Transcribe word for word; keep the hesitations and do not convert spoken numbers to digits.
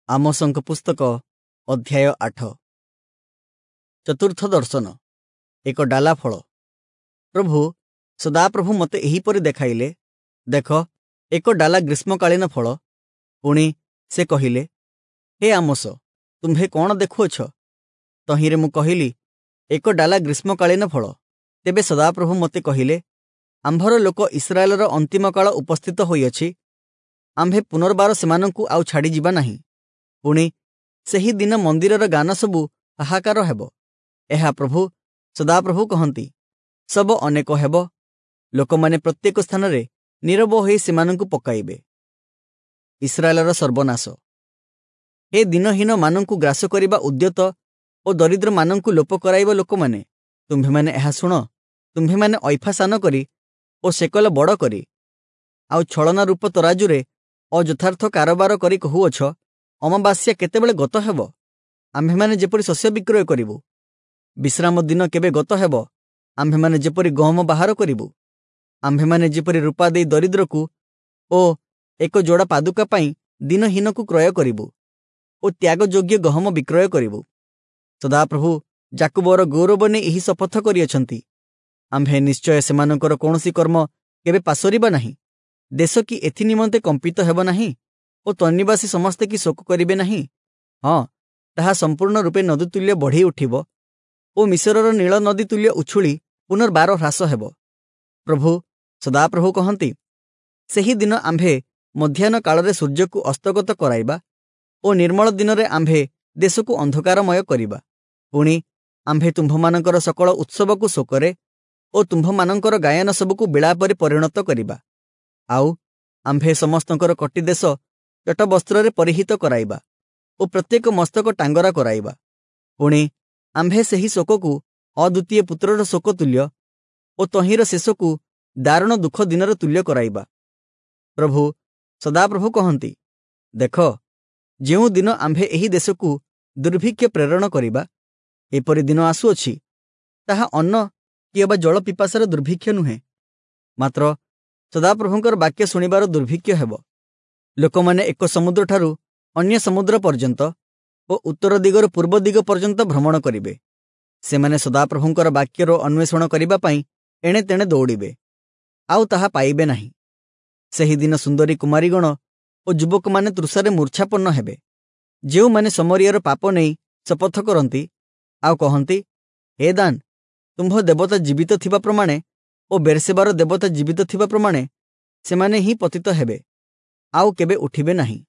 ଆମୋସଙ୍କ ପୁସ୍ତକ ଅଧ୍ୟାୟ ଆଠ। ଚତୁର୍ଥ ଦର୍ଶନ, ଏକ ଡାଲା ଫଳ। ପ୍ରଭୁ ସଦାପ୍ରଭୁ ମୋତେ ଏହିପରି ଦେଖାଇଲେ, ଦେଖ, ଏକ ଡାଲା ଗ୍ରୀଷ୍ମକାଳୀନ ଫଳ। ପୁଣି ସେ କହିଲେ, ହେ ଆମୋସ, ତୁମ୍ଭେ କ'ଣ ଦେଖୁଅଛ? ତହିଁରେ ମୁଁ କହିଲି, ଏକ ଡାଲା ଗ୍ରୀଷ୍ମକାଳୀନ ଫଳ। ତେବେ ସଦାପ୍ରଭୁ ମୋତେ କହିଲେ, ଆମ୍ଭର ଲୋକ ଇସ୍ରାଏଲର ଅନ୍ତିମ କାଳ ଉପସ୍ଥିତ ହୋଇଅଛି, ଆମ୍ଭେ ପୁନର୍ବାର ସେମାନଙ୍କୁ ଆଉ ଛାଡ଼ିଯିବା ନାହିଁ। ପୁଣି ସେହି ଦିନ ମନ୍ଦିରର ଗାନ ସବୁ ହାହାକାର ହେବ। ଏହା ପ୍ରଭୁ ସଦାପ୍ରଭୁ କହନ୍ତି। ଶବ ଅନେକ ହେବ, ଲୋକମାନେ ପ୍ରତ୍ୟେକ ସ୍ଥାନରେ ନୀରବ ହୋଇ ସେମାନଙ୍କୁ ପକାଇବେ। ଇସ୍ରାଏଲର ସର୍ବନାଶ। ହେ ଦିନହୀନମାନଙ୍କୁ ଗ୍ରାସ କରିବା ଉଦ୍ୟତ ଓ ଦରିଦ୍ରମାନଙ୍କୁ ଲୋପ କରାଇବା ଲୋକମାନେ, ତୁମ୍ଭେମାନେ ଏହା ଶୁଣ। ତୁମ୍ଭେମାନେ ଐଫା ସାନ କରି ଓ ସେକଲ ବଡ଼ କରି ଆଉ ଛଳନା ରୂପ ତରାଜୁରେ ଅଯଥାର୍ଥ କାରବାର କରି କହୁଅଛ, ଅମାବାସ୍ୟା କେତେବେଳେ ଗତ ହେବ? ଆମ୍ଭେମାନେ ଯେପରି ଶସ୍ୟ ବିକ୍ରୟ କରିବୁ। ବିଶ୍ରାମ ଦିନ କେବେ ଗତ ହେବ? ଆମ୍ଭେମାନେ ଯେପରି ଗହମ ବାହାର କରିବୁ। ଆମ୍ଭେମାନେ ଯେପରି ରୂପା ଦେଇ ଦରିଦ୍ରକୁ ଓ ଏକ ଯୋଡ଼ା ପାଦୁକା ପାଇଁ ଦିନହୀନକୁ କ୍ରୟ କରିବୁ ଓ ତ୍ୟାଗଯୋଗ୍ୟ ଗହମ ବିକ୍ରୟ କରିବୁ। ସଦାପ୍ରଭୁ ଯାକୁବର ଗୌରବ ନେଇ ଏହି ଶପଥ କରିଅଛନ୍ତି, ଆମ୍ଭେ ନିଶ୍ଚୟ ସେମାନଙ୍କର କୌଣସି କର୍ମ କେବେ ପାସୋରିବା ନାହିଁ। ଦେଶ କି ଏଥି ନିମନ୍ତେ କମ୍ପିତ ହେବ ନାହିଁ ଓ ତନ୍ନିବାସୀ ସମସ୍ତେ କି ଶୋକ କରିବେ ନାହିଁ? ହଁ, ତାହା ସମ୍ପୂର୍ଣ୍ଣ ରୂପେ ନଦୀ ତୁଲ୍ୟ ବଢ଼ି ଉଠିବ ଓ ମିଶରର ନୀଳ ନଦୀ ତୁଲ୍ୟ ଉଛୁଳି ପୁନର୍ବାର ହ୍ରାସ ହେବ। ପ୍ରଭୁ ସଦାପ୍ରଭୁ କହନ୍ତି, ସେହି ଦିନ ଆମ୍ଭେ ମଧ୍ୟାହ୍ନ କାଳରେ ସୂର୍ଯ୍ୟକୁ ଅସ୍ତଗତ କରାଇବା ଓ ନିର୍ମଳ ଦିନରେ ଆମ୍ଭେ ଦେଶକୁ ଅନ୍ଧକାରମୟ କରିବା। ପୁଣି ଆମ୍ଭେ ତୁମ୍ଭମାନଙ୍କର ସକଳ ଉତ୍ସବକୁ ଶୋକରେ ଓ ତୁମ୍ଭମାନଙ୍କର ଗାୟନ ସବୁକୁ ବିଳାପରେ ପରିଣତ କରିବା। ଆଉ ଆମ୍ଭେ ସମସ୍ତଙ୍କର କଟିଦେଶ ଚଟବସ୍ତ୍ରରେ ପରିହିତ କରାଇବା ଓ ପ୍ରତ୍ୟେକ ମସ୍ତକ ଟାଙ୍ଗରା କରାଇବା। ପୁଣି ଆମ୍ଭେ ସେହି ଶୋକକୁ ଅଦ୍ୱିତୀୟ ପୁତ୍ରର ଶୋକ ତୁଲ୍ୟ ଓ ତହିଁର ଶେଷକୁ ଦାରୁଣ ଦୁଃଖ ଦିନର ତୁଲ୍ୟ କରାଇବା। ପ୍ରଭୁ ସଦାପ୍ରଭୁ କହନ୍ତି, ଦେଖ, ଯେଉଁ ଦିନ ଆମ୍ଭେ ଏହି ଦେଶକୁ ଦୁର୍ଭିକ୍ଷ ପ୍ରେରଣ କରିବା, ଏପରି ଦିନ ଆସୁଅଛି, ତାହା ଅନ୍ନ କି ଅବା ଜଳ ପିପାସାର ଦୁର୍ଭିକ୍ଷ ନୁହେଁ, ମାତ୍ର ସଦାପ୍ରଭୁଙ୍କର ବାକ୍ୟ ଶୁଣିବାର ଦୁର୍ଭିକ୍ଷ ହେବ। ଲୋକମାନେ ଏକ ସମୁଦ୍ରଠାରୁ ଅନ୍ୟ ସମୁଦ୍ର ପର୍ଯ୍ୟନ୍ତ ଓ ଉତ୍ତର ଦିଗରୁ ପୂର୍ବ ଦିଗ ପର୍ଯ୍ୟନ୍ତ ଭ୍ରମଣ କରିବେ। ସେମାନେ ସଦାପ୍ରଭୁଙ୍କର ବାକ୍ୟର ଅନ୍ୱେଷଣ କରିବା ପାଇଁ ଏଣେ ତେଣେ ଦୌଡ଼ିବେ, ଆଉ ତାହା ପାଇବେ ନାହିଁ। ସେହିଦିନ ସୁନ୍ଦରୀ କୁମାରୀଗଣ ଓ ଯୁବକମାନେ ତୃଷାରେ ମୂର୍ଚ୍ଛାପନ୍ନ ହେବେ। ଯେଉଁମାନେ ସମରିଆର ପାପ ନେଇ ଶପଥ କରନ୍ତି ଆଉ କହନ୍ତି, ହେ ଦାନ, ତୁମ୍ଭ ଦେବତା ଜୀବିତ ଥିବା ପ୍ରମାଣେ ଓ ବେର୍ସେବାର ଦେବତା ଜୀବିତ ଥିବା ପ୍ରମାଣେ, ସେମାନେ ହିଁ ପତିତ ହେବେ, ଆଉ କେବେ ଉଠିବେ ନାହିଁ।